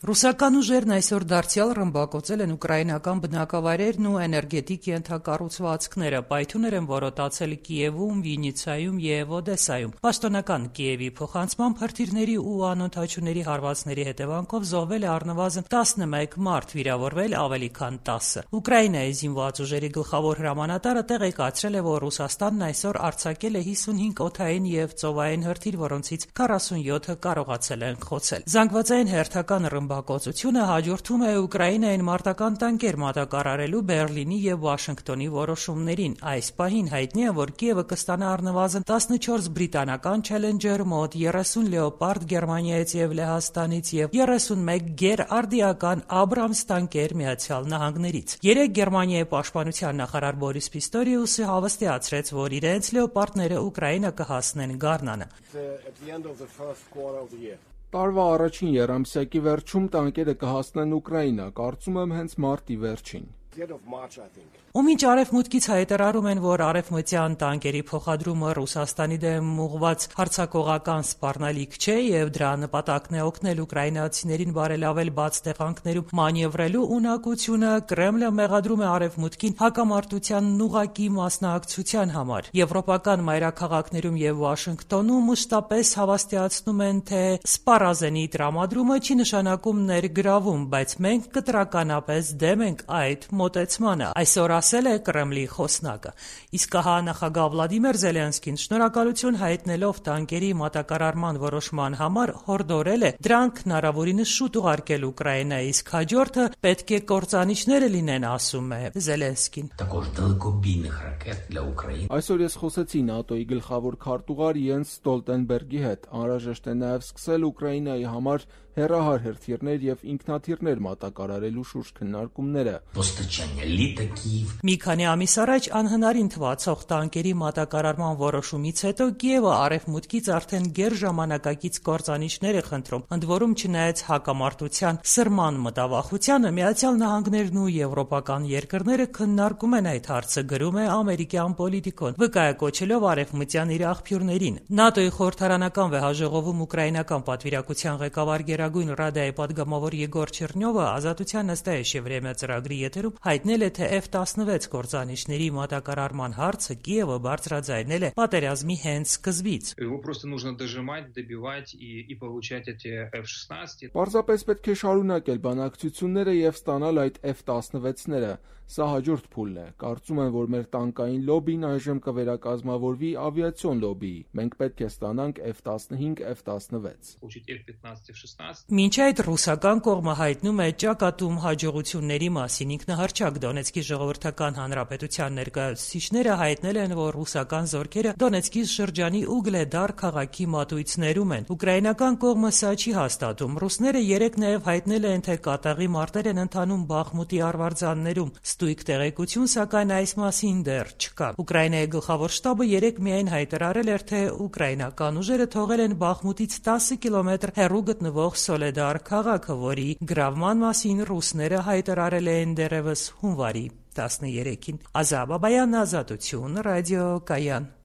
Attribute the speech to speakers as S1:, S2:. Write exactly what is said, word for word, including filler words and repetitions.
S1: Ռուսական ուժերն այսօր դարձյալ ռմբակոծել են ուկրաինական բնակավայրերն ու էներգետիկ ենթակառուցվածքները, պայթյուններ են որոտացել Կիևում, Վիննիցայում և Օդեսայում։ Պաշտոնական Կիևի փոխանցմամբ հրթիռների ու անօդաչուների հարվածների հետևանքով զոհվել է առնվազն տասնմեկ մարդ, վիրավորվել ավելի քան տասը։ Ուկրաինայի զինված ուժերի գլխավոր հրամանատարը տեղեկացրել է, որ Ռուսաստանն այսօր արձակել է հիսունհինգ օդային և ծովային հրթիռ, որոնցից քառասունյոթը կարողացել են խոցել։ Զանգվածային հերթական ռմբակոծությունը հաջորդում է Ուկրաինային մարտական տանկեր մատակարարելու Բեռլինի և Վաշինգտոնի որոշումներին։ Այս պահին հայտնի է, որ Կիևը կստանա առնվազն տասնչորս բրիտանական Չելենջեր, մոտ երեսուն Լեոպարդ Գերմանիայից և Լեհաստանից և երեսունմեկ գերարդիական Աբրամս տանկեր Միացյալ Նահանգներից։ Երեկ Գերմանիայի պաշտպանության նախարար Բորիս Պիստորիուսը հավաստիացրեց, որ իրենց Լեոպարդները Ուկրաինա կհասնեն գարնանը։
S2: Տարվա առաջին եռամսյակի վերջում տանկերը կհասնեն Ուկրաինա, կարծում եմ հենց մարտի վերջին։
S1: Ու մինչ արևմուտքից հայտարարում են, որ արևմտյան տանկերի փոխադրումը Ռուսաստանի դեմ ուղղված հարձակողական սպառնալիք չէ և դրա նպատակն է օգնել ուկրաինացիներին բարելավել բաց տեղանքներում մանևրելու ունակությունը, Կրեմլը մեղադրում է արևմուտքին հակամարտությանն ուղղակի մասնակցության համար։ Եվրոպական մայրաքաղաքներում և Վաշինգտոնում մշտապես հավաստիացնում են, թե սպառազենի տրամադրումը չի նշանակում ներգրավում, բայց մենք կտրականապես դեմ ենք այդ մոտեցմանը, այսօր ասել է Կրեմլի խոսնակը։ Իսկ ահա նախագահ Վլադիմիր Զելենսկին շնորհակալություն հայտնելով տանկերի մատակարարման որոշման համար հորդորել է դրանք հնարավորինս շուտ ուղարկել Ուկրաինայի, իսկ հաջորդը պետք է կործանիչները լինեն, ասում է Զելենսկին։
S2: Այսօր ես խոսեցի ՆԱՏՕ-ի գլխավոր քարտուղար Յենս Ստոլտենբերգի հետ։ Անհրաժեշտ է նաև սկսել Ուկրաինայի համար հեռահար հրթիռներ և ինքնաթիռներ մատակարարելու շուրջ քննարկումները։
S1: Մի քանի ամիս առաջ անհնարին թվացող տանկերի մատակարարման որոշումից հետո Կիևը արևմուտքից արդեն գերժամանակակից կործանիչներ է խնդրում։ Ընդ որում, չնայած հակամարտության սրման մտավախությանը, Միացյալ Նահանգներն ու եվրոպական երկրները քննարկում են այդ հարցը, գրում է ամերիկյան Պոլիտիկոն, վկայակոչելով արևմտյան իր աղբյուրներին։ ՆԱՏՕ-ի խորհրդարանական վեհաժողովում ուկրաինական պատվիրակության ղեկավար Գերագույն Ռադայի պատգամավոր Եգոր Չեռնյովը Ազատության նստայեշ Եվրեմիա ծրագրի եթերում հայտնել է, թե Էֆ տասնվեց կործանիչների մատակարարման հարցը Կիևը բարձրաձայնել է պատերազմի հենց սկզբից։
S2: Պարզապես պետք է շարունակել բանակցությունները և ստանալ այդ Էֆ տասնվեցները։ Սա հաջորդ փուլն է։ Կարծում եմ, որ մեր տանկային լոբին այժմ կվերակազմավորվի ավիացիոն լոբիի։ Մենք պետք է ստանանք Էֆ տասնհինգ, Էֆ տասնվեց։
S1: Մինչ այդ ռուսական կողմը հայտնում է ճակատում հաջողությունների մասին։ Ինքնահռչակ Դոնեցկի ժողովրդական հանրապետության ներկայացուցիչները հայտնել են, որ ռուսական զորքերը Դոնեցկի շրջանի Ուգլեդար քաղաքի մատույցներում են։ Ուկրաինական կողմը սա չի հաստատում։ Ռուսները երեկ նաև հայտնել են, թե կատաղի մարտեր են ընթանում Բախմուտի արվարձաններում։ Ստույգ տեղեկություն, սակայն այս մասին դեռ չկա։ Ուկրաինայի գլխավոր շտաբը երեկ միայն հայտարարել էր, թե ուկրաինական ուժերը թողել են Բախմուտից տասը կիլոմետր հեռու գտնվող Սոլեդար քաղաքը, որի գրավման մասին ռուսները հայտարարել էին դեռևս հունվարի տասներեքին։ Ազա Բաբայան, Ազատություն, Ռադիո Կայան։